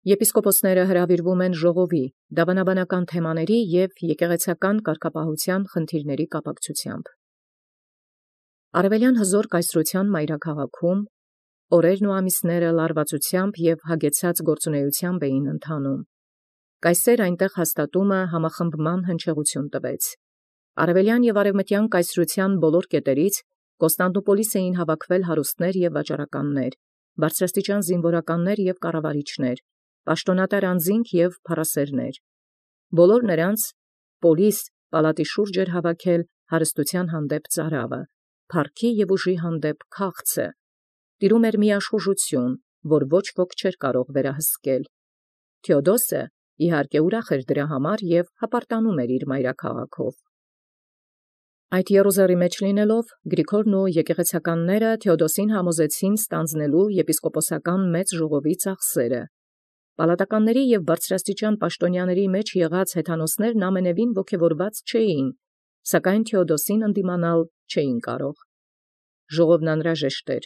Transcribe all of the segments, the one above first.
Եպիսկոպոսները հրավիրվում են ժողովի, դավանաբանական թեմաների և եկեղեցական կարգապահության խնդիրների կապակցությամբ։ Արևելյան հզոր կայսրության մայրաքաղաքում օրերն ու ամիսները լարվածությամբ և հագեցած գործունեությամբ էին ընթանում։ Կայսեր այնտեղ հաստատումը համախմբման հնչեղություն տվեց։ Արևելյան և արևմտյան կայսրության բոլոր կետերից Կոստանդնուպոլիս էին հավաքվել հարուստներ և վաճառականներ, բարձրաստիճան զինվորականներ և կառավարիչներ, պաշտոնատար անձինք և փառասերներ։ Բոլոր նրանց պոլիս պալատի շուրջ էր հավաքել հարստության հանդեպ ծարավը, փառքի և ուժի հանդեպ քաղցը։ Տիրում էր մի աշխուժություն, որ ոչ ոք չէր կարող վերահսկել։ Թեոդոսը իհարկե ուրախ էր դրա համար և հպարտանում էր իր մայրաքաղաքով։ Այդ Եռուզեռի մեջ լինելով Գրիգորն ու եկեղեցականները Թեոդոսին համոզեցին ստանձնելու եպիսկոպոսական մեծ ժողովի ծախսերը։ Պալատականների և բարձրաստիճան պաշտոնյաների մեջ եղած հեթանոսներն ամենևին ոգևորված չէին, սակայն Թեոդոսին ընդդիմանալ չէին կարող։ Ժողովն անհրաժեշտ էր,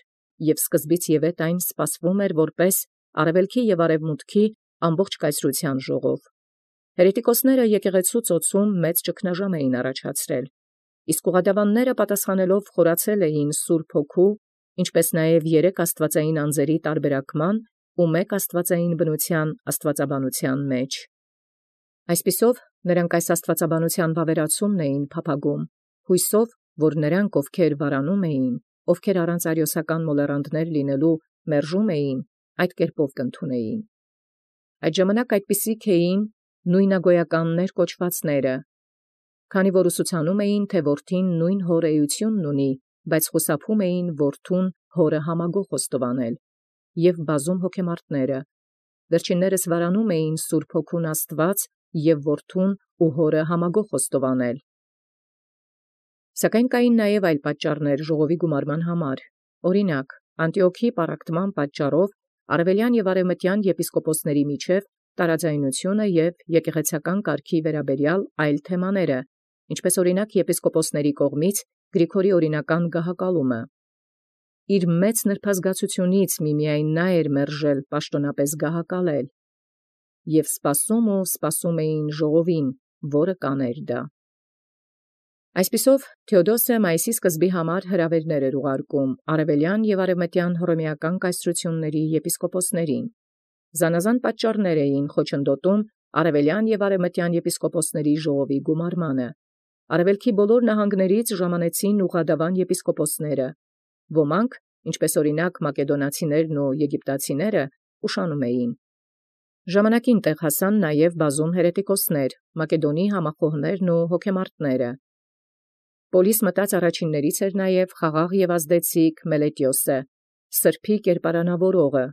և սկզբից ևեթ այն սպասվում էր որպես արևելքի և արևմուտքի ամբողջ կայսրության ժողով։ Հերետիկոսները եկեղեցու ծոցում մեծ ճգնաժամ էին առաջացրել, իսկ ուղղադավանները պատասխանելով խորացել էին Սուրբ Հոգու, ինչպես նաև երեք աստվածային անձերի տարբերակման ու մեկ աստվածային բնության աստվածաբանության մեջ։ Այսպիսով նրանք այս աստվածաբանության վավերացումն էին փափագում, հույսով, որ նրանք, ովքեր վարանում էին, ովքեր առանց արիոսական մոլեռանդներ լինելու մերժում էին, այդ կերպով կընդունեին։ Այդ ժամանակ այդպիսիք էին նույնագոյականներ կոչվածները, քանի որ ուսուցանում էին, թե որդին նույն հոր էությունն ունի, բայց խուսափում էին որդուն հորը համագող խոստովանել, և բազում հոգեմարտները, վերջիններս վարանում էին Սուրբ Հոգուն Աստված և որդուն ու հորը համագող խոստովանել։ Սակայն կային նաև այլ պատճառներ ժողովի գումարման համար, օրինակ, Անտիոքի պառակտման պատճառով արևելյան և արևմտյան եպիսկոպոսների միջև տարաձայնությունը և եկեղեցական կարգի վերաբերյալ այլ թեմաները, ինչպես օրինակ եպիսկոպոսների կողմից Գրիգորի օրինական գահակալումը։ Իր մեծ նրբազգացությունից միմիայն նա էր մերժել պաշտոնապես գահակալել, և սպասում էին ժողովին, որը կաներ դա։ Այսպիսով Թեոդոսը մայիսի սկզբի համար հրավերներ էր ուղարկում արևելյան և արևմտյան հռոմեական կայսրությունների եպիսկոպոսներին։ Զանազան պատճառներ էին խոչընդոտում արևելյան և արևմտյան եպիսկոպոսների ժողովի գումարմանը։ Արևելքի բոլոր նահանգներից ժամանեցին ուղղադավան եպիսկոպոսները։ Ոմանք, ինչպես օրինակ մակեդոնացիներն ու եգիպտացիները, ուշանում էին։ Ժամանակին տեղ հասան նաև բազում հերետիկոսներ, Մակեդոնի համախոհներն ու հոգեմարտները։ Պոլիս մտած առաջիններից էր նաև խաղաղ և ազդեցիկ Մելետիոսը, սրբի կերպարանավորողը։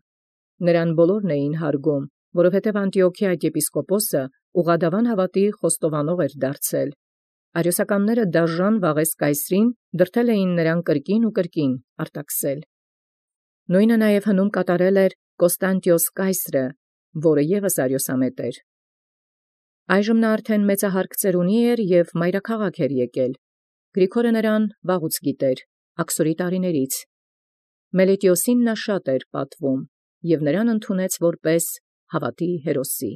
Նրան բոլորն էին հարգում, որովհետև Անտիոքի այդ եպիսկոպոսը ուղղադավան հավատի խոստովանող էր դարձել։ Արիոսականները դաժան վաղես կայսրին դրդել էին նրան կրկին ու կրկին արտաքսել։ Նույնը նաև հնում կատարել էր Կոստանդիոս կայսրը, որը ևս արիոսամետ էր։ Այժմ նա արդեն մեծահարկ ծերունի էր և մայրաքաղաք էր եկել։ Գրիգորը նրան վաղուց գիտեր, աքսորի տարիներից։ Մելետիոսին նա շատ էր պատվում, և նրան ընդունեց որպես հավատի հերոսի։